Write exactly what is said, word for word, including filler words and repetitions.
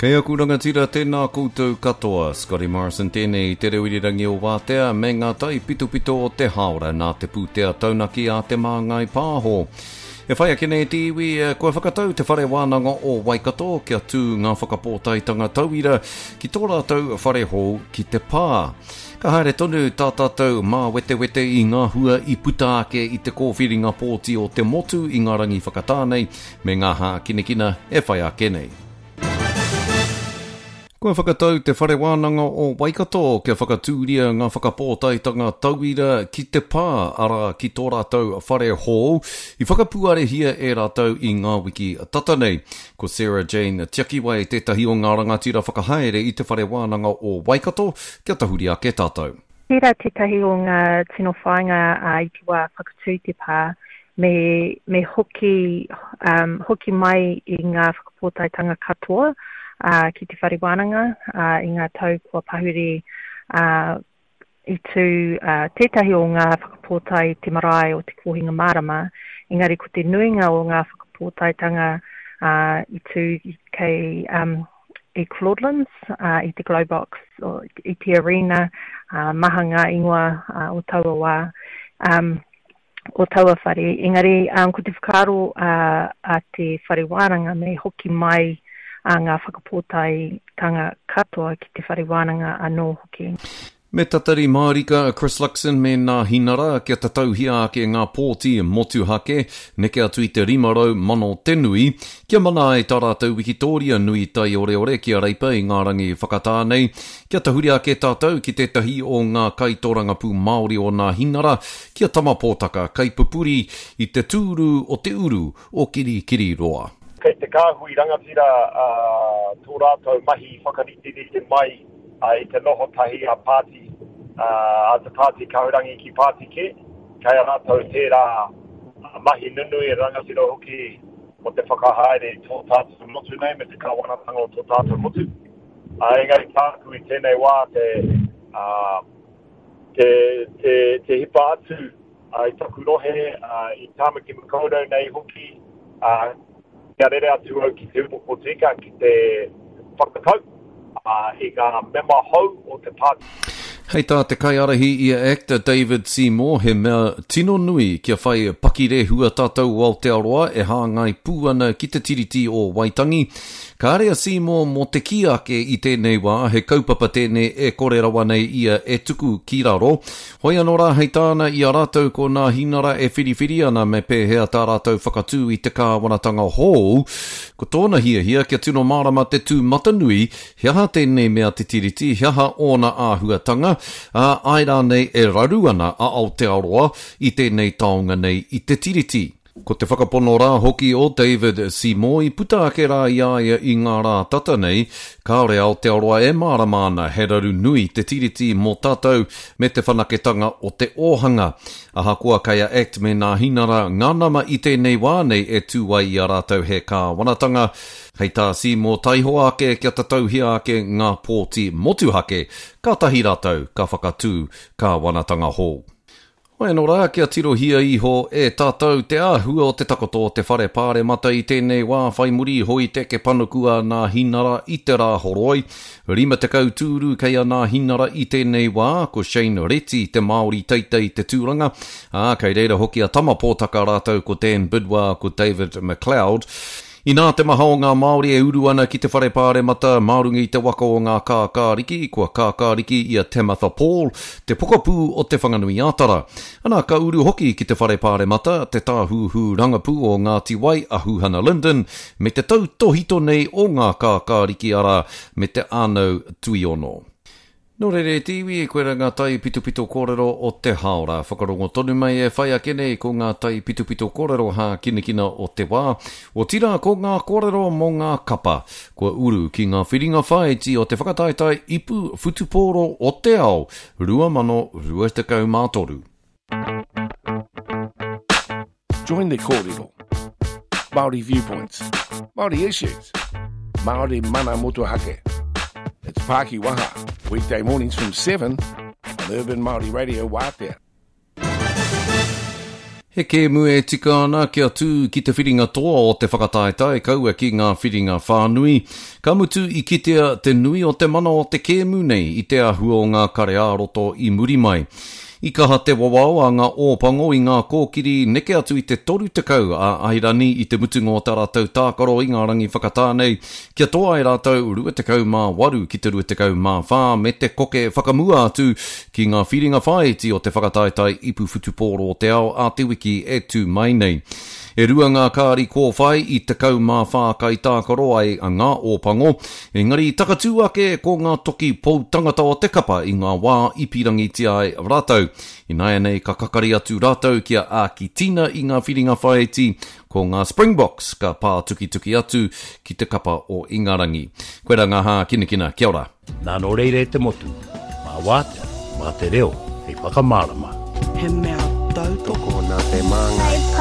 Kei aku rangatira, tēnā koutou katoa. Scotty Morrison tēnei i te reo irirangi o Wātea me ngā taipitopito o te hāora nā te pūtea taunaki a Te Māngai Pāho. E whai ake nei te iwi, kua whakatau te Whare Wānanga o Waikato kia tū ngā whakapōtaetanga tauira ki tō rātou whare hou ki te pā. Ka haere tonu tā tātou māwetewete i ngā hua i puta ake i te kōwhiringa pōti o te motu i ngā rangi whakatā nei me ngā hākinakina e whai ake nei. Kua whakatau te Whare Wānanga o Waikato kia whakatūria ngā whakapōtaetanga tauira ki te pā, arā ki tō rātou whare hou, i whakapuarehia e rātou i ngā wiki tata nei. Ko Sarah Jane Tiakiwai tētahi o ngā rangatira whakahaere i te Whare Wānanga o Waikato, kia tahuri ake tātou. Tērā tētahi o ngā tino whāinga i te wā whakatū te pā, me, me hoki, um, hoki mai i ngā whakapōtaetanga katoa, Uh, ki te whare wānanga uh, i ngā tau kua pahure uh, i tū uh, tētahi o ngā whakapōtae te marae o te Kōhinga Mārama, engari ko te nuinga o ngā whakapōtaetanga uh, i tū kei um, i Claudelands, uh, i te Globox, o, i te Arena, uh, maha ngā ingoa uh, o taua wā. Um, o taua whare, engari um, ko te whakaaro uh, a te whare wānanga me hoki mai a ngā whakapōtaetanga katoa ki te whare wānanga anō hoki. Me tatari mārika a Chris Luxon me nā hinara kia tatauhia ake ngā pōti motuhake, neke atu i te rima rau mano te nui, kia mana ai tā rātou wikitoria nui taioreore ki a Reipa i ngā rangi whakatā nei, kia tahuri ake tātou ki tētahi o ngā kaitorangapū Māori o nā hinara, kia Tama Pōtaka kaipupuri i te tūru o te uru o Kirikiriroa. Kei te kāhui rangatira uh, tō rātou mahi whakariterite mai uh, i te noho tahi a pāti, uh, a te pāti kahurangi ki pāti kē. Kei a rātou tērā mahi nunui e rangatira hoki o te whakahaere i tō tātou motu nei me te kāwanatanga o tō tātou motu. Uh, engari tāku i tēnei wā te, uh, te, te, te hipa atu uh, i taku rohe, uh, i Tāmaki Makaurau nei hoki, uh, kia rere atu au ki te upoko tika, ki te whakatau uh, i ngā mema hou o te pāti. Hei tā te kaiārahi i a ACT David Seymour, he mea tino nui kia whai pakirehua tātou Aotearoa e hāngai pū ana ki te Tiriti o Waitangi. Kāre a Seymour mō te kī ake i tēnei wā, he kaupapa tēnei e kore rawa nei ia e tuku ki raro. Hoi anō rā hei tāna i a rātou ko nā hinara e whiriwhiri ana me pēhea tā rātou whakatū i te kāwanatanga hou. Ko tōna hiahia kia tino mārama te tū matanui, he aha tēnei mea te Tiriti, he aha ōna āhuatanga, ā, ai rānei e raru ana a Aotearoa i tēnei taonga nei i te Tiriti. Ko te whakapono rā hoki o David Seymour i puta ake rā i a ia i ngā rā tata nei, kāore Aotearoa e mārama ana he raru nui te Tiriti mō tātou me te whanaketanga o te ōhanga. Ahakoa kei a ACT me nā hinara ngā nama i tēnei wā nei e tū ai i a rātou he kāwanatanga, hei tā Seymour taihoa ake kia tatauhia ake ngā pōti motuhake, kātahi rātou ka whakatū kāwanatanga hou. Hoi anō rā, kia tirohia iho e tātou te āhua o te takoto o te whare pāremata i tēnei wā whai muri iho i te eke panuku a nā hinara i te rā horoi. Rima tekau tūru kei a nā hinara i tēnei wā, ko Shane Reti te Māori teitei te tūranga, ā, kei reira hoki a Tama Pōtaka rātou ko Dan Bidwar, ko David McLeod. Inā te maha o ngā Māori e uru ana ki te whare pāremata mā runga i te waka o ngā kākāriki, kua kākāriki i a Tamatha Paul, te pokapū o te Whanganui Ātara. Ana, ka uru hoki ki te whare pāremata, te tāhuhu rangapū o Ngāti Wai a Huhana Lyndon, me te tautohito nei o ngā kākāriki arā, me te Ānau Tuiono. Nō reira e te iwi, koira ngā taipitopito kōrero o te hāora. Whakarongo tonu mai e whai ake nei ko ngā taipitopito kōrero hākinakina o te wā. Otirā ko ngā kōrero mō ngā kapa. Kua uru ki ngā whiringa whāiti o te whakataetae ipu whutupōro o te ao rua mano rua tekau mā toru. Join the kōrero. Māori viewpoints, Māori issues, Māori mana motuhake. It's Paki Waha, weekday mornings from seven on Urban Māori Radio Wātea. He kēmu e tika ana kia tū ki te whiringa toa o te whakataetae kaua ki ngā whiringa whānui. Ka mutu i kitea te nui o te mana o te kēmu nei i te āhua o ngā kare ā-roto i muri mai. I kaha te wawao a ngā Ōpango i ngā kōkiri neke atu i te toru tekau a Airani i te mutunga o tā rātou tākaro i ngā rangi whakatā nei, kia toa ai rātou rua tekau mā waru ki te rua tekau mā whā me te koke whakamua atu ki ngā whiringa whāiti o te whakataetae ipu whutupōro o te ao a te wiki e tū mai nei. E rua ngā kāri kōwhai i tekau mā whā kaitākaro ai a ngā Ōpango, engari i takatū ake ko ngā toki pou tangata o te kapa i ngā wā i pīrangitia ai rātou. Ināianei ka kakari atu rātou ki a Ākitina i ngā whiringa whāiti, ko ngā Springboks ka pātukituki atu ki te kapa o Ingarangi. Koirā ngā hākinakina, kia ora. Nā nō reira e te motu, mā wātea, mā te reo hei whakamārama. He mea tautoko. Tokona te māngai.